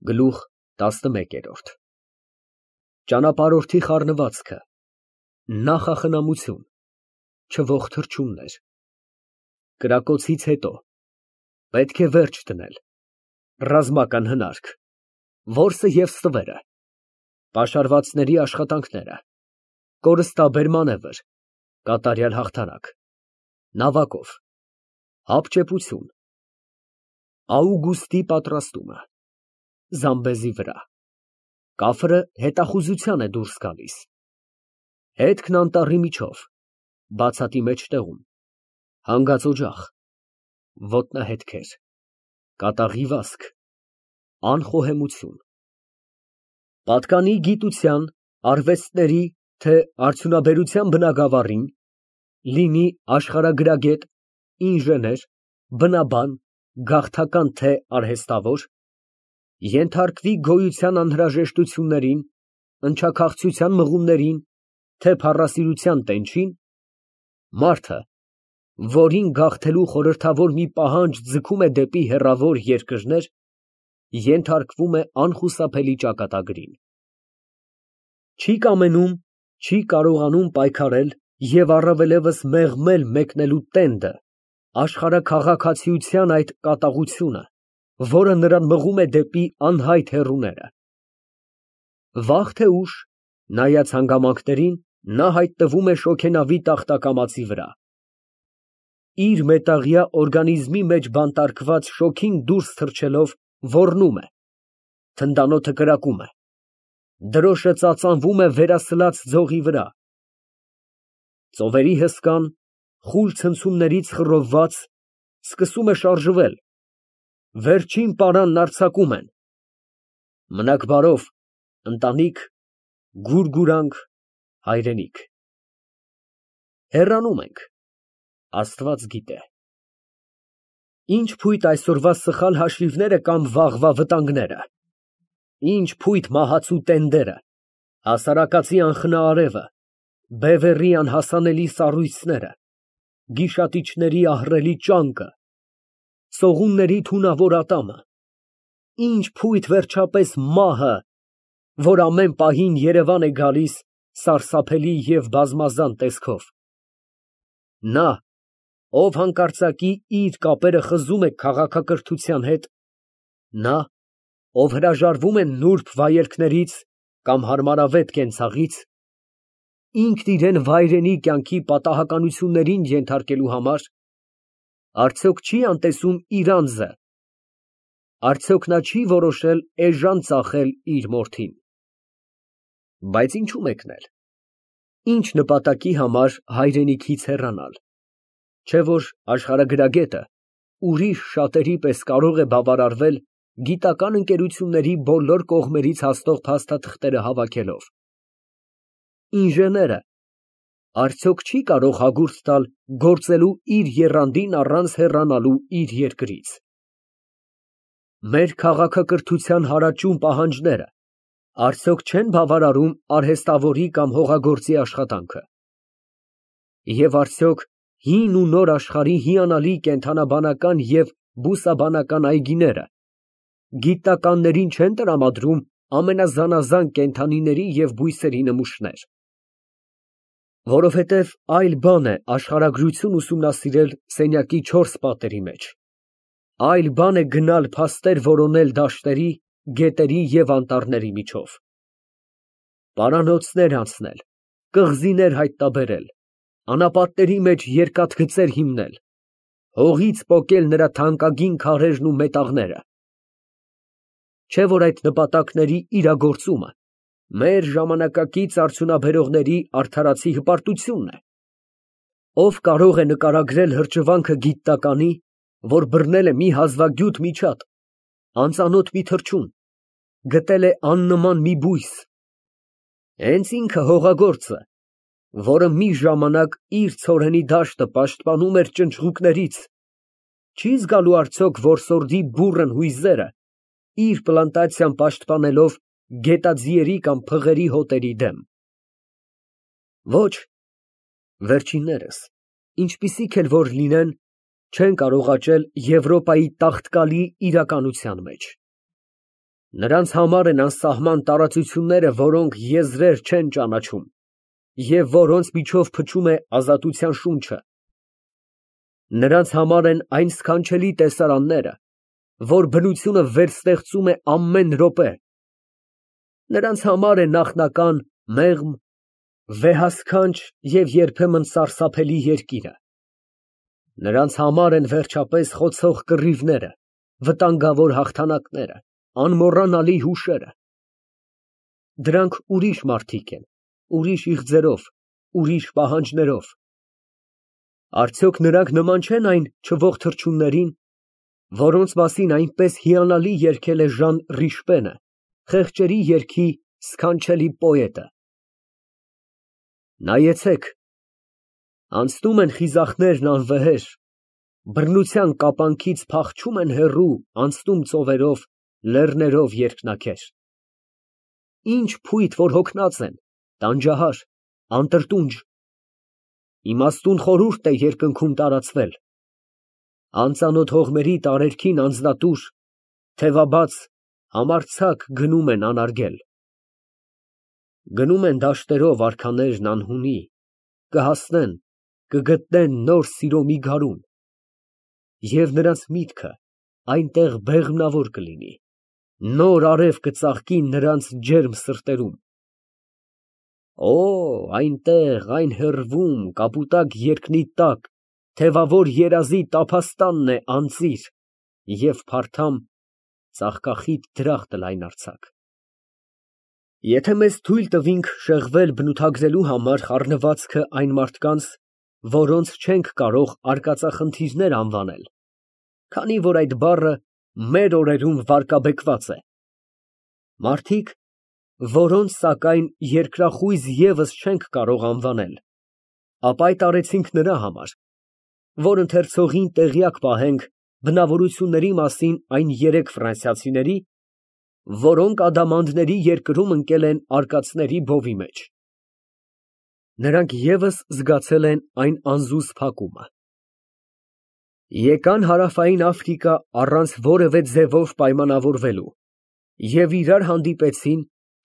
Գլուխ 11 Ճանապարհորդի խառնվածքը, նախախնամություն, չվող թռչուններ, կրակոցից հետո, պետք է վերջ դնել, ռազմական հնարք, որսը և ստվերը, պաշարվածների աշխատանքները, կորստաբեր մանևր, կատարյալ հաղթանակ, նավակով, հապճեպություն, Աուգուստի պատրաստումը, Զամբեզի վրա, կաֆրը հետախուզության է դուրս գալիս, հետքն անտառի միջով, բացատի մեջտեղում, հանգած օջախ, ոտնահետքեր, կատաղի վազք, անխոհեմություն, պատկանի գիտության, արվեստների, թե արդյունաբերության բնագավառին, լինի աշխարհագրագետ, ինժեներ, բնաբան, գաղթական թե արհեստավոր, ենթարկվի գոյության անհրաժեշտություններին, ընչաքաղցության մղումներին, թե փառասիրության տենչին, մարդը, որին գաղթելու խորհրդավոր մի պահանջ ձգում է դեպի հեռավոր երկրներ, ենթարկվում է անխուսափելի ճակատագրին։ Չի կամենում, չի կարողանում պայքարել և առավելևս մեղմել մեկնելու տենդը, աշխարհաքաղաքացիության այդ կատաղությունը, որը նրան մղում է դեպի անհայտ հեռուները։ Վաղ թե ուշ, նայած հանգամանքներին, նա հայտնվում է շոգենավի տախտակամածի վրա։ Իր մետաղյա օրգանիզմի մեջ բանտարկված շոգին դուրս թռչելով ոռնում է, թնդանոթը կրակում է, դրոշը ծածանվում է վերասլաց ձողի վրա, ծովերի հսկան, խուլ ցնցումներից խռովված, սկսում է շարժվել, վերջին պարանն արձակում են, մնաք բարով, ընտանիք, գուրգուրանք, հայրենիք, հեռանում ենք, Աստված գիտե։ Ինչ փույթ այսօրվա սխալ հաշիվները կամ վաղվա վտանգները, ինչ փույթ մահացու տենդերը, հասարակածի անխնա արևը, բևեռի անհասանելի սառույցները, գիշատիչների ահռելի ճանկը, սողունների թունավոր ատամը, ինչ փույթ վերջապես մահը, որ ամեն պահին Երևան է գալիս սարսափելի և բազմազան տեսքով։ Նա, ով հանկարծակի իր կապերը խզում է քաղաքակրթության հետ, նա, ով հրաժարվում է նուրբ վայելքներից կամ հարմարավետ կենցաղից, ինքն իրան վայրենի կյանքի պատահականություններին ենթարկելու համար, արդյոք չի անտեսում իր անձը, արդյոք նա չի որոշել էժան ծախել իր մորթին։ Բայց ինչու մեկնել, ինչ նպատակի համար հայրենիքից հեռանալ, չէ՞ որ աշխարհագրագետը ուրիշ շատերի պես կարող է բավարարվել գիտական ընկերությունների բոլոր կողմերից հասնող փաստաթղթերը հավաքելով։ Ինժեները արդյոք չի կարող հագուրդ տալ գործելու իր եռանդին առանց հեռանալու իր երկրից։ Մեր քաղաքակրթության հարաճուն պահանջները արդյոք չեն բավարարում արհեստավորի կամ հողագործի աշխատանքը։ Եվ արդյոք հին ու նոր աշխարհի հիանալի կենդանաբանական և բուսաբանական այգիները գիտնականներին չեն տրամադրում ամենազանազան կենդանիների և բույսերի նմուշներ։ Որովհետև այլ բան է աշխարհագրություն ուսումնասիրել սենյակի 4 պատերի մեջ, այլ բան է գնալ փաստեր որոնել դաշտերի, գետերի և անտառների միջով, պարանոցներ անցնել, կղզիներ հայտնաբերել, անապատների մեջ երկաթգծեր հիմնել, հողից պոկել նրա թանկագին քարերն ու մետաղները։ Չէ՞ որ այդ նպատակների իրագործումը մեր ժամանակակից արդյունաբերողների արդարացի հպարտությունն է։ Ով կարող է նկարագրել հրճվանքը գիտնականի, որ բռնել է մի հազվագյուտ միջատ, անծանոթ մի թռչուն, գտել է աննման մի բույս, հենց ինքը հողագործը, որը մի ժամանակ իր ցորենի դաշտը պաշտպանում էր ճնճղուկներից, չի զգալու արդյոք որսորդի բուռն հույզերը իր պլանտացիան պաշտպանելով գետաձիերի կամ փղերի հոտերի դեմ։ Ոչ, վերջիններս, ինչպիսիք էլ որ լինեն, չեն կարող աճել Եվրոպայի տաղտկալի իրականության մեջ։ Նրանց համար են անսահման տարածությունները, որոնք եզրեր չեն ճանաչում և որոնց միջով փչում է ազատության շունչը։ Նրանց համար են այն սքանչելի տեսարանները, որ բնությունը վերստեղծում է ամեն րոպե։ Նրանց համար է նախնական, մեղմ, վեհասքանչ և երբեմն սարսափելի երկիրը։ Նրանց համար են վերջապես խոցող կռիվները, վտանգավոր հաղթանակները, անմոռանալի հուշերը։ Դրանք ուրիշ մարդիկ են, ուրիշ իղձերով, ուրիշ պահանջներով։ Արդյոք նրանք նման չեն այն չողթրչուններին, որոնց մասին այնպես հիանալի երգել է Ժան Ռիշպենը, խեղճերի երգի սքանչելի պոետը։ Նայեցեք, անցնում են խիզախներն անվեհեր, բռնության կապանքից փախչում են հեռու, անցնում ծովերով, լեռներով երկնաքեր։ Ինչ փույթ, որ հոգնած են, տանջահար, անտրտունջ, իմաստուն խորհուրդ է երկնքում տարածվել, անծանոթ հողմերի տարերքին անձնատուր, թևաբաց, համարձակ գնում են անարգել։ Գնում են դաշտերով արքաներն անհունի, կհասնեն, կգտնեն նոր սիրո մի գարուն, և նրանց միտքը այնտեղ բեղմնավոր կլինի, նոր արև կծաղկի նրանց ջերմ սրտերում։ Օ, այնտեղ, այն հեռվում, կապուտակ երկնի տակ, թևավոր երազի տափաստանն է անծիր և փարթամ ծաղկախիտ դրախտը լայնարձակ։ Եթե մեզ թույլ տվինք շեղվել բնութագրելու համար խառնվածքը այն մարդկանց, որոնց չենք կարող արկածախնդիրներ անվանել, քանի որ այդ բառը մեր օրերում վարկաբեկված է, մարդիկ, որոնց սակայն երկրախույզ ևս չենք կարող անվանել, ապա այդ արեցինք նրա համար, որ ընթերցողին տեղյակ պահենք բնավորությունների մասին այն երեք ֆրանսիացիների, որոնք ադամանդների երկրում ընկել են արկածների բովի մեջ։ Նրանք ևս զգացել են այն անզուզ փակումը։ Եկան Հարավային Աֆրիկա առանց որևէ ձևով պայմանավորվելու և իրար հանդիպեցին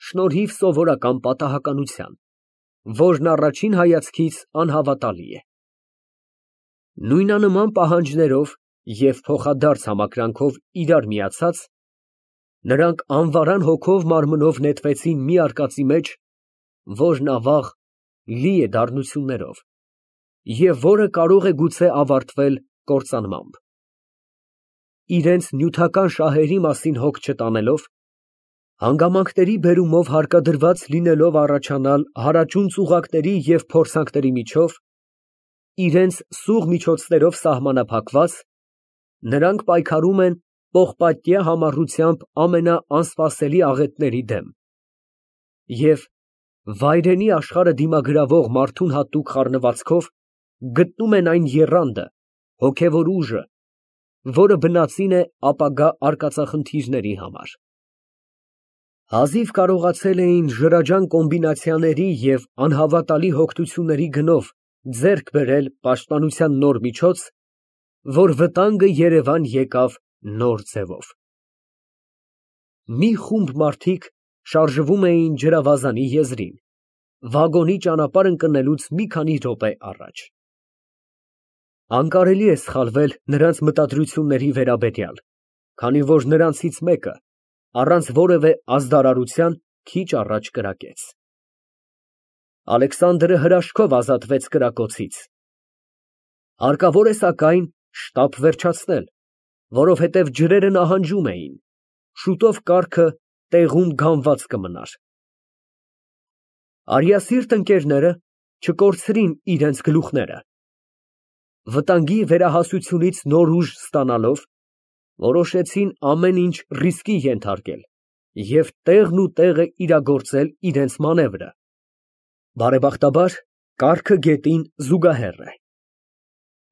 շնորհիվ սովորական պատահականության, որն առաջին հայացքից անհավատալի է։ Նույնանման պահանջներով և փոխադարձ համակրանքով իրար միացած, նրանք անվարան հոգով մարմնով նետվեցին մի արկածի մեջ, որն ավաղ լի է դառնություններով և որը կարող է գուցե ավարտվել կործանմամբ։ Իրենց նյութական շահերի մասին հոգ չտանելով, հանգամանքների բերումով հարկադրված լինելով առաջանալ հարաճուն ծուղակների և փորձանքների միջով, իրենց սուղ միջոցներով սահմանափակված, նրանք պայքարում են պողպատյա համառությամբ ամենաանսպասելի աղետների դեմ և վայրենի աշխարհը դիմագրավող մարդուն հատուկ խառնվածքով գտնում են այն եռանդը, հոգևոր ուժը, որը բնածին է ապագա արկածախնդիրների համար։ Հազիվ կարողացել էին ժրաջան կոմբինացիաների և անհավատալի հոգնությունների գնով ձեռք բերել պաշտպանության նոր միջոց, որ վտանգը երևան եկավ նոր ձևով։ Մի խումբ մարդիկ շարժվում էին ջրավազանի եզրին, վագոնի ճանապարհ ընկնելուց մի քանի րոպե առաջ։ Անկարելի է սխալվել նրանց մտադրությունների վերաբերյալ, քանի որ նրանցից մեկը, առանց որևէ ազդարարության, քիչ առաջ կրակեց։ Ալեքսանդրը հրաշքով ազատվեց կրակոցից։ Հարկավոր է սակայն շտապ վերջացնել, որովհետև ջրերը նահանջում էին, շուտով կառքը տեղում գանված կմնար։ Արիասիրտ ընկերները չկորցրին իրենց գլուխները։ Վտանգի վերահասությունից նոր ուժ ստանալով, որոշեցին ամեն ինչ ռիսկի ենթարկել և տեղն ու տեղը իրագործել իրենց մանևրը։ Բարեբախտաբար, կառքը գետին զուգահեռ է։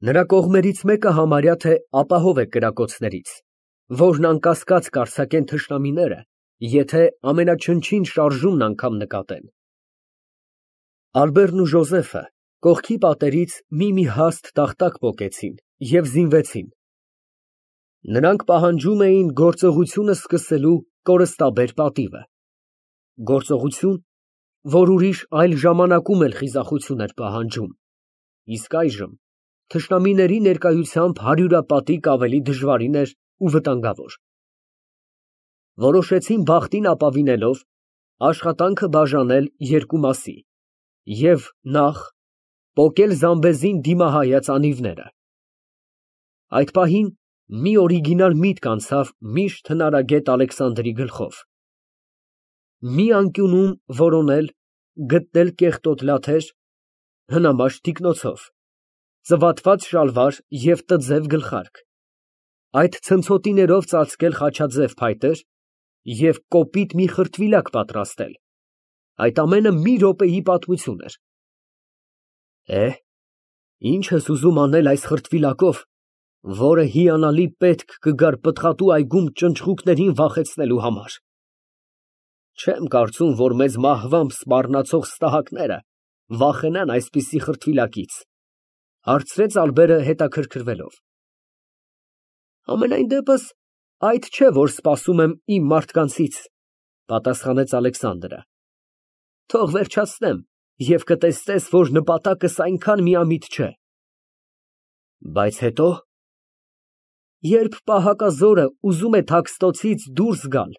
Նրա կողմերից մեկը համարյա թե ապահով է կրակոցներից, որն անկասկած կարձակեն թշնամիները, եթե ամենաչնչին շարժումն անգամ նկատեն։ Ալբերտն ու Ժոզեֆը կողքի պատերից մի հաստ տախտակ պոկեցին և զինվեցին։ Նրանք պահանջում էին գործողությունը սկսելու կորստաբեր պատիվը, գործողություն, որ ուրիշ այլ ժամանակում էլ խիզախություն էր պահանջում, իսկ այժմ թշնամիների ներկայությամբ հարյուրապատիկ ավելի դժվարին էր ու վտանգավոր։ Որոշեցին բախտին ապավինելով աշխատանքը բաժանել երկու մասի և նախ պոկել Զամբեզին դիմահայաց անիվները։ Այդ պահին մի օրիգինալ միտք անցավ միշտ հնարագետ Ալեքսանդրի գլխով։ Մի անկյունում որոնել, գտնել կեղտոտ լաթեր, հնամաշ թիկնոցով, ծվատված շալվար և տձև գլխարկ, այդ ցնցոտիներով ծածկել խաչաձև փայտեր և կոպիտ մի խրտվիլակ պատրաստել, այդ ամենը մի րոպեի պատմություն էր։ Ինչ ես ուզում անել այս խրտվիլակով, որը հիանալի պետք կգար պտղատու այգում ճնճղուկներին վախեցնելու համար։ Չեմ կարծում, որ մեզ մահվամբ սպառնացող ստահակները վախենան այսպիսի խրտվիլակից, հարցրեց Ալբերը հետաքրքրվելով։ Համենայն դեպս այդ չէ, որ սպասում եմ իմ մարդկանցից, պատասխանեց Ալեքսանդրը։ Թող վերջացնեմ և կտեսնես, որ նպատակս այնքան միամիտ չէ։ Բայց հետո, երբ պահակազորը ուզում է Թաքստոցից դուրս գալ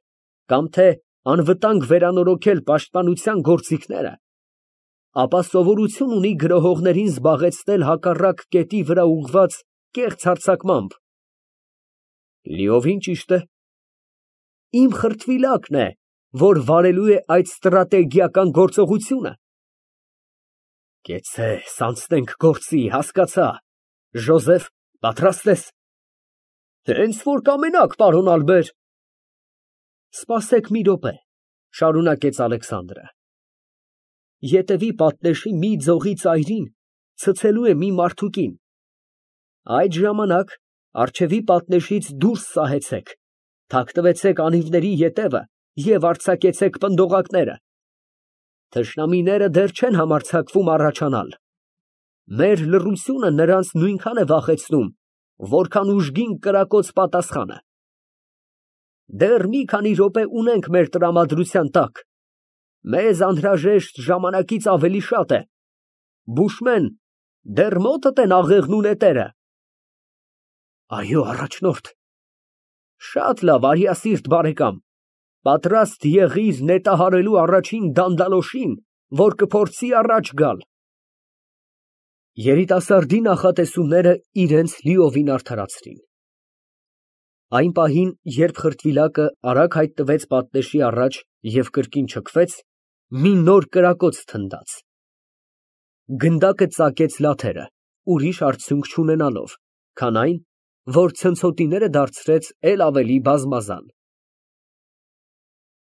կամ թե անվտանգ վերանորոգել պաշտպանության գործիքները, ապա սովորություն ունի գրոհողներին զբաղեցնել հակառակ կետի վրա ուղղված կեղծ հարձակմամբ։ Լիովին ճիշտ է։ Իմ խրտվիլակն է, որ վարելու է այդ ստրատեգիական գործողությունը։ Կեցցես, անցնենք գործի, հասկացա։ Ժոզեֆ, պատրաստ ես։ Հենց որ կամենաք, պարոն Ալբեր։ Սպասեք մի րոպե, շարունակեց Ալեքսանդրը։ Ետևի պատնեշի մի ձողի ծայրին ցցելու է մի մարդուկին։ Այդ ժամանակ առջևի պատնեշից դուրս սահեցեք, թաքնվեցեք անիվների ետևը և արձակեցեք պնդողակները։ Թշնամիները դեռ չեն համարձակվում առաջանալ։ Մեր լռությունը նրանց նույնքան է վախեցնում, որքան ուժգին կրակոց պատասխանը։ Դեռ մի քանի րոպե ունենք մեր տրամադրության տակ։ Մեզ անհրաժեշտ ժամանակից ավելի շատ է։ Բուշմեն, դեռ մոտդ են աղեղն ու նետերը։ Այո, առաջնորդ։ Շատ լավ, արիասիրտ բարեկամ, պատրաստ եղիր նետահարելու առաջին դանդալոշին, որ կփորձի առաջ գալ։ Երիտասարդի նախատեսումները իրենց լիովին արդարացրին։ Այն պահին, երբ խրտվիլակը արագ հայտնվեց պատնեշի առաջ և կրկին չքվեց, մի նոր կրակոց թնդաց։ Գնդակը ծակեց լաթերը, ուրիշ արդյունք չունենալով, քան այն, որ ցնցոտիները դարձրեց էլ ավելի բազմազան։